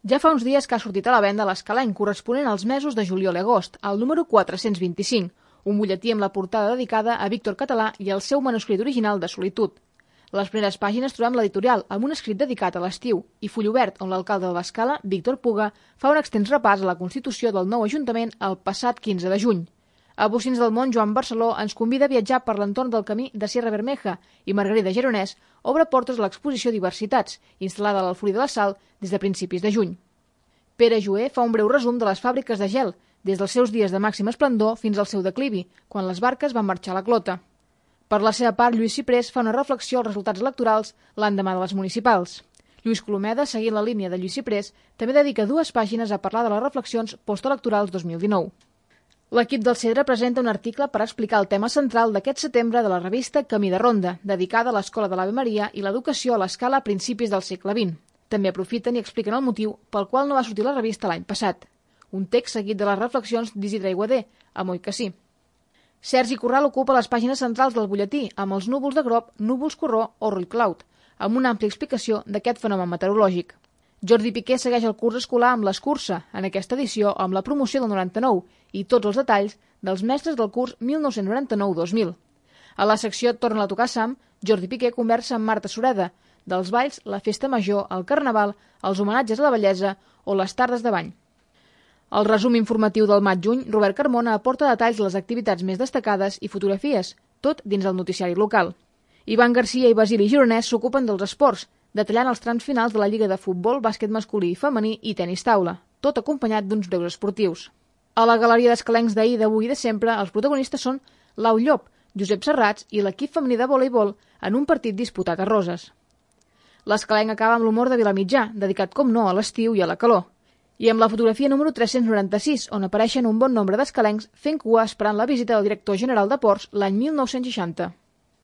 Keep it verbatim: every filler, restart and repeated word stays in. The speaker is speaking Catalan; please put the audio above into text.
Ja fa uns dies que ha sortit a la venda l'Escalenc corresponent als mesos de juliol i agost, el número quatre-cents vint-i-cinc, un butlletí amb la portada dedicada a Víctor Català i al seu manuscrit original de Solitud. A les primeres pàgines trobem l'editorial amb un escrit dedicat a l'estiu i full obert on l'alcalde de l'Escala, Víctor Puga, fa un extens repàs a la constitució del nou Ajuntament el passat quinze de juny. A Bocins del Mont, Joan Barceló ens convida a viatjar per l'entorn del camí de Sierra Bermeja i Margarida Geronès obre portes a l'exposició Diversitats, instal·lada a l'Alforí de la Sal des de principis de juny. Pere Joé fa un breu resum de les fàbriques de gel, des dels seus dies de màxim esplendor fins al seu declivi, quan les barques van marxar a la clota. Per la seva part, Lluís Ciprés fa una reflexió als resultats electorals l'endemà de les municipals. Lluís Colomeda, seguint la línia de Lluís Ciprés, també dedica dues pàgines a parlar de les reflexions postelectorals dos mil dinou. L'equip del Cedre presenta un article per explicar el tema central d'aquest setembre de la revista Camí de Ronda, dedicada a l'Escola de l'Ave Maria i l'educació a l'Escala a principis del segle vint. També aprofiten i expliquen el motiu pel qual no va sortir la revista l'any passat. Un text seguit de les reflexions d'Isidre Aiguader, a Moi que sí. Sergi Corral ocupa les pàgines centrals del butlletí amb els núvols de Grop, núvols Corró o Rull Cloud, amb una àmplia explicació d'aquest fenomen meteorològic. Jordi Piqué segueix el curs escolar amb l'escurça, en aquesta edició amb la promoció del noranta-nou i tots els detalls dels mestres del curs mil nou-cents noranta-nou dos mil. A la secció Torna a tocar Sam, Jordi Piqué conversa amb Marta Sureda, dels balls, la festa major, el carnaval, els homenatges a la bellesa o les tardes de bany. Al resum informatiu del maig-juny, Robert Carmona aporta detalls de les activitats més destacades i fotografies, tot dins del noticiari local. Ivan Garcia i Basili Gironès s'ocupen dels esports, detallant els trams finals de la Lliga de Futbol, Bàsquet masculí i femení i tenis taula, tot acompanyat d'uns breus esportius. A la galeria d'escalencs d'ahir, d'avui i de sempre, els protagonistes són Lau Llop, Josep Serrats i l'equip femení de voleibol en un partit disputat a Roses. L'escalenc acaba amb l'humor de Vilamitjà, dedicat com no a l'estiu i a la calor, i amb la fotografia número tres-cents noranta-sis, on apareixen un bon nombre d'escalencs fent cua esperant la visita del director general de Ports l'any mil nou-cents seixanta.